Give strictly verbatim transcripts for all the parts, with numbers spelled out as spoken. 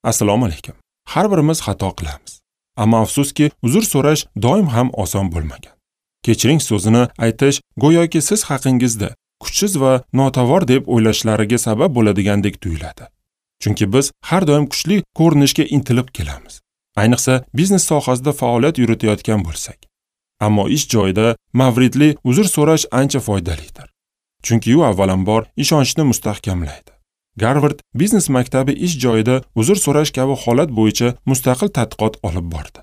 Assalomu alaykum. Har birimiz xato qilamiz. Ammo afsuski, uzr so'rash doim ham oson bo'lmagan. Kechiring so'zini aytish go'yoki siz haqingizda kuchsiz va notavor deb o'ylashlariga sabab bo'ladigandek tuyuladi. Chunki biz har doim kuchli ko'rinishga intilib kelamiz. Ayniqsa biznes sohasida faoliyat yuritayotgan bo'lsak. Ammo ish joyida mavridli uzr so'rash ancha foydalidir. Chunki u avvalambor ishonchni mustahkamlaydi. Garvard biznes maktabi ish joyida uzr so'rash kabi holat bo'yicha mustaqil tadqiqot olib bordi.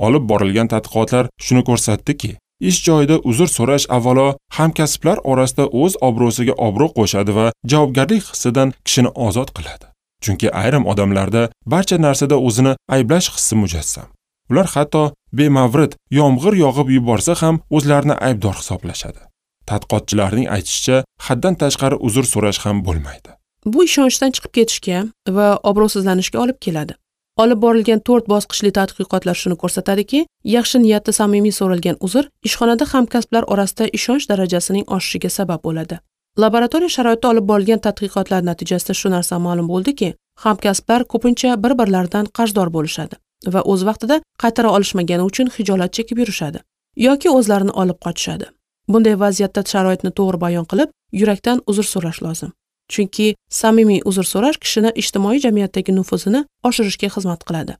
Olib borilgan tadqiqotlar shuni ko'rsatdiki, ish joyida uzr so'rash avvalo hamkasblar orasida o'z obro'siga obro' qo'shadi va javobgarlik hissidan kishini ozod qiladi. Chunki ayrim odamlarda barcha narsada o'zini ayblash hissi mujassam. Ular hatto bemavrid yomg'ir yog'ib yuborsa ham o'zlarini aybdor hisoblashadi. Tadqiqotchilarning aytishicha, haddan tashqari uzr so'rash ham bo'lmaydi. Bu ishonchdan chiqib ketishga va obro'sizlanishga olib keladi. Olib borilgan to'rt bosqichli tadqiqotlar shuni ko'rsatadiki, yaxshi niyatda samimiy so'ralgan uzr ishxonada hamkasblar orasida ishonch darajasining oshishiga sabab bo'ladi. Laboratoriya sharoitida olib borilgan tadqiqotlar natijasida shu narsa ma'lum bo'ldiki, hamkasblar ko'pincha bir-birlaridan qarzdor bo'lishadi va o'z vaqtida qaytara olishmagani uchun xijolat chekib yurishadi yoki o'zlarini olib qochishadi. Bunday vaziyatda sharoitni to'g'ri bayon qilib, yurakdan uzr so'rash lozim. Chunki samimiy uzr so'rash kishini ijtimoiy jamiyatdagi nufuzini oshirishga xizmat qiladi.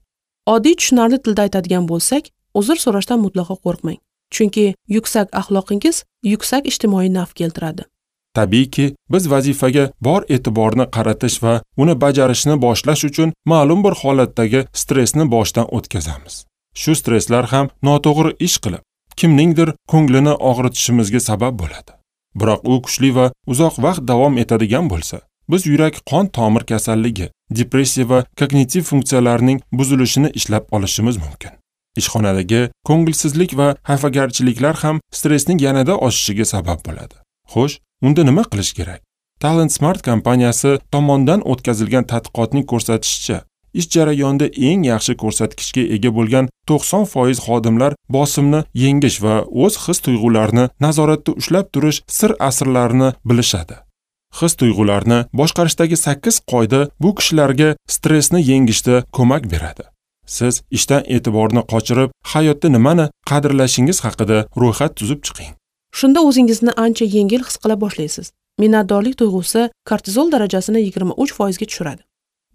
Oddiy tushunarli tilda aytadigan bo'lsak, uzr so'rashdan mutlaqo qo'rqmang. Chunki yuksak axloqingiz yuksak ijtimoiy naf keltiradi. Tabiiyki, biz vazifaga bor e'tiborni qaratish va uni bajarishni boshlash uchun ma'lum bir holatdagi stressni boshdan o'tkazamiz. Shu stresslar ham noto'g'ri ish qilib, kimningdir ko'nglini og'ritishimizga sabab bo'ladi. Biroq u kuchli va uzoq vaqt davom etadigan bo'lsa, biz yurak-qon tomir kasalligi, depressiya va kognitiv funksiyalarning buzilishini ishlab olishimiz mumkin. Ishxonadagi ko'ngilsizlik va xafagarchiliklar ham stressning yanada oshishiga sabab bo'ladi. Xo'sh, unda nima qilish kerak? Talent Smart kompaniyasi tomonidan o'tkazilgan tadqiqotning ko'rsatishicha, ish jarayonida eng yaxshi ko'rsatkichga ega bo'lgan to'qson foiz xodimlar bosimni yengish va o'z his-tuyg'ularini nazoratda ushlab turish sir asrlarini bilishadi. His-tuyg'ularni boshqarishdagi sakkiz qoida bu kishilarga stressni yengishda ko'mak beradi. Siz ishdan e'tiborni qochirib, hayotda nimani qadrlashingiz haqida ro'yxat tuzib chiqing. Shunda o'zingizni ancha yengil his qila boshlaysiz. Minnatdorlik tuyg'usi kortizol darajasini yigirma uch foizga tushiradi.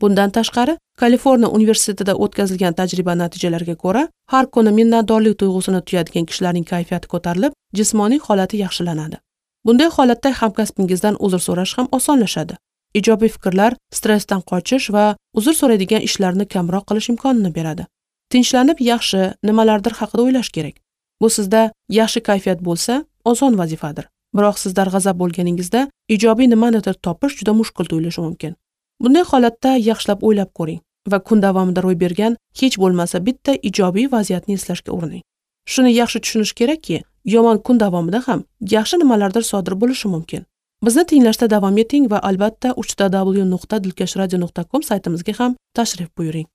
Bundan tashqari, Kaliforniya universitetida o'tkazilgan tajriba natijalariga ko'ra, har kuni minnatdorlik tuyg'usini tuyadigan kishilarning kayfiyati ko'tarilib, jismoniy holati yaxshilanadi. Bunday holatda hamkasbingizdan uzr so'rash ham osonlashadi. Ijobiy fikrlar stressdan qochish va uzr so'raydigan ishlarni kamroq qilish imkonini beradi. Tinchlanib yaxshi nimalardir haqida o'ylash kerak. Bu sizda yaxshi kayfiyat bo'lsa, oson vazifadir. Biroq siz darg'azab bo'lganingizda ijobiy nimanidir topish juda mushkul tuyulishi mumkin. Bunday holatda yaxshilab o'ylab ko'ring va kun davomida ro'y bergan hech bo'lmasa bitta ijobiy vaziyatni eslashga urining. Shuni yaxshi tushunish kerakki, yomon kun davomida ham yaxshi nimalardir sodir bo'lishi mumkin. Bizni tinglashda davom eting va albatta uch ta w nuqta dilkash radio nuqta com saytimizga ham tashrif buyuring.